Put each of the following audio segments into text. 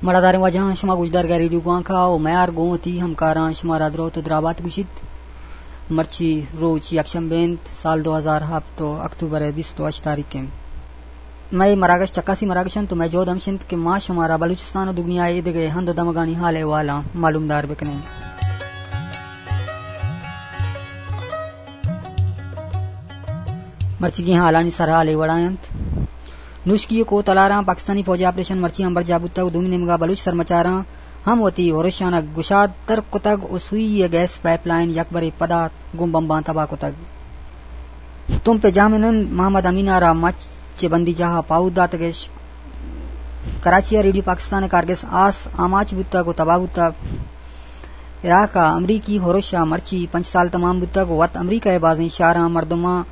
مڑاداریں واجہاں، شما گوشدارگ ءَ ریڈیو گوانک ءَ ءُ میار گوں وتی ہمکاراں شمارا دروت ءُ درابات گوشیت۔ مرچی روچ یکشنبے انت، سال دو ہزار ہپت ءُ اکتوبر ءِ بیست ءُ ہشت تاریخ انت۔ مئے مراگش چکاسی مراگش انت ءُ مئے جہد ہمش انت کہ ما شمارا بلوچستان ءُ دگنیا ءِ ایدگہ ہند ءُ دمگانی حال احوالاں معلومدار بکنیں۔ مرچیگیں حالانی سرحال اے وڑا انت۔ نوشکی ءُ کوہ تلاراں پاکستانی فوج ءِ آپریشن مرچی ہم برجاہ بوتگ ءُ دومی نیمگا بلوچ سرمچاراں ہم وتی ہرشاناں گشاد تر کتگ ءُ سوئی ءِ گیس پائپ لائن یکبرے پدا گوں بمباں تباہ کتگ۔ تمپ ءِ جہمنند محمد امین ءَ را مچ چہ بندی جاہ ءَ پاہو داتگ اش۔ کراچی ءَ ریڈیو پاکستان ءِ کارگس آس آماچ بوتگ ءُ تباہ بوتگ۔ عراق ءَ امریکی ہرش ءَ مرچی پنچ سال تمام بوتگ ءُ وت امریکہ ءِ بازیں شہراں مردماں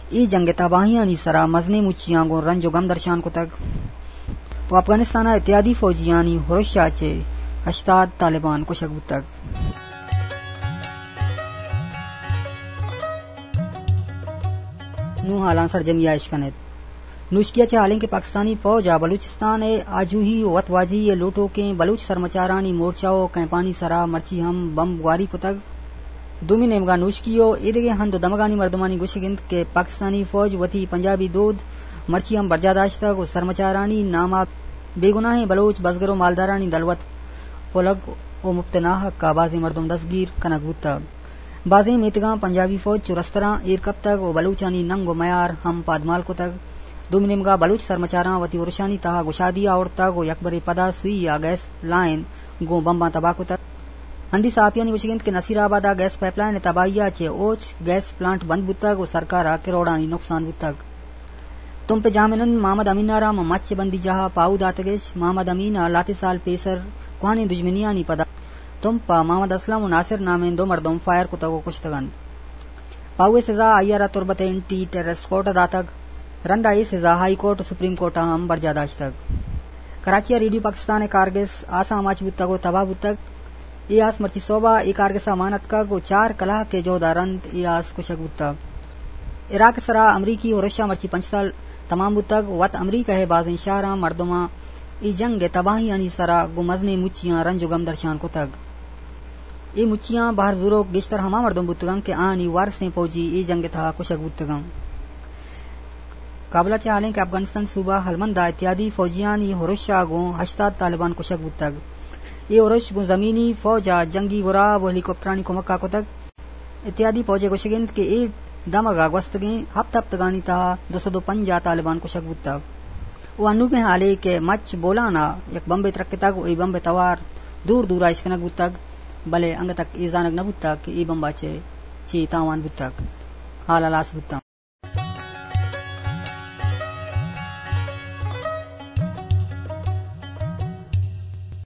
اے جنگ ءِ تباہیانی سرا مزنیں مچیاں گوں رنج ءُ گم درشان کتگ ءُ افغانستان ءَ اتحادی فوجیانی ہرش ءَ چہ ہشتاد طالبان کشگ بوتگ۔ نوں حالاں سرجمی ءَ اشکن ات۔ نوشکی ءَ چہ حالیں کہ پاکستانی فوج ءَ بلوچستان ءِ آجوئی ءُ وت واجہی ءِ لوٹوکیں بلوچ سرمچارانی مورچہ ءُ کیمپانی سرا مرچی ہم بمب گواری کتگ۔ دومی نیمگا نوشکی ءُ ایدگہ ہند ءُ دمگانی مردمانی گوشگ انت کہ پاکستانی فوج وتی پنجابی دود مرچی ہم برجاہ داشتگ ءُ سرمچارانی نام ءَ بے گناہیں بلوچ بزگر ءُ مالدارانی دلوت پلگ ءُ مپت ناحق ءَ بازیں مردم دستگیر کنگ بوتگ۔ بازیں میتگاں پنجابی فوج چو رستراں ایر کپتگ ءُ بلوچانی ننگ ءُ میار ہم پادمال کتگ۔ دومی نیمگا بلوچ سرمچاراں وتی ہرشانی تہا گشادی آورتگ ءُ یکبرے پدا سوئی ءَ گیس لائن گوں بمباں تباہ کتگ۔ ہندی صحافیانی گوشگ انت کہ نصیر آباد ءَ گیس پائپ لائن ءِ تباہی ءَ چہ اوچ گیس پلانٹ بند بوتگ ءُ سرکار ءَ کروڑانی نقصان بوتگ۔ تمپ ءِ جہمنند محمد امین ءَ را ماں مچ ءِ بندی جاہ ءَ پاہو داتگ اش۔ محمد امین ءَ لہتے سال پیسر کوہنیں دژمنیانی پدا تمپ ءَ محمد اسلم ءُ ناصر نامیں دو مردم فائر کتگ ءُ کشتگ انت۔ پاہو ءِ سزا آئی ءَ را تربت ءِ اینٹی ٹیررسٹ کورٹ ءَ داتگ۔ رند ءَ اے سزا ہائی کورٹ ءُ سپریم کورٹ ءَ ہم برجاہ داشتگ۔ کراچی ءَ ریڈیو پاکستان ءِ کارگس آس ءَ آماچ بوتگ ءُ تباہ بوتگ۔ اے آس مرچی سہب ءَ اے کارگس ءَ مان اتکگ ءُ چار کلاہک ءِ جہد ءَ رند اے آس کشگ بوتگ۔ عراق ءِ سرا امریکی ہرش ءَ مرچی پنچ سال تمام بوتگ۔ وت امریکہ ءِ بازیں شہراں مردماں اے جنگ ءِ تباہیانی سرا گوں مزنیں مچیاں رنج ءُ گم درشان کتگ۔ اے مچیاں بہر زوروک گیشتر ہما مردم بوتگ انت کہ آہانی وارسیں پوجی اے جنگ ءِ تہا کشگ بوتگ انت۔ کابل ءَ چہ حالیں کہ افغانستان صوبہ ہلمند ءَ اتحادی فوجیانی ہرش ءَ گوں ہشتاد طالبان کشگ بوتگ۔ اے ہرش گوں زمینی فوج ءَ جنگی گراب ءُ ہیلی کاپٹرانی کمک ءَ کتگ۔ اتحادی فوج ءِ گوشگ انت کہ اے دمگ ءَ گوستگیں ہپت ہپتگانی تہا دو سد ءُ پنجاہ طالبان کشگ بوتگ۔ ءُ انوگیں حالے کہ مچ بولان ءَ یک بمبے ترکتگ ءُ اے بمب ءِ توار دور دور ءَ اشکنگ بوتگ، بلے انگت تک اے زانگ نہ بوتگ کہ اے بمب ءَ چہ چے تاوان بوتگ، حال ہلاس بوتاں۔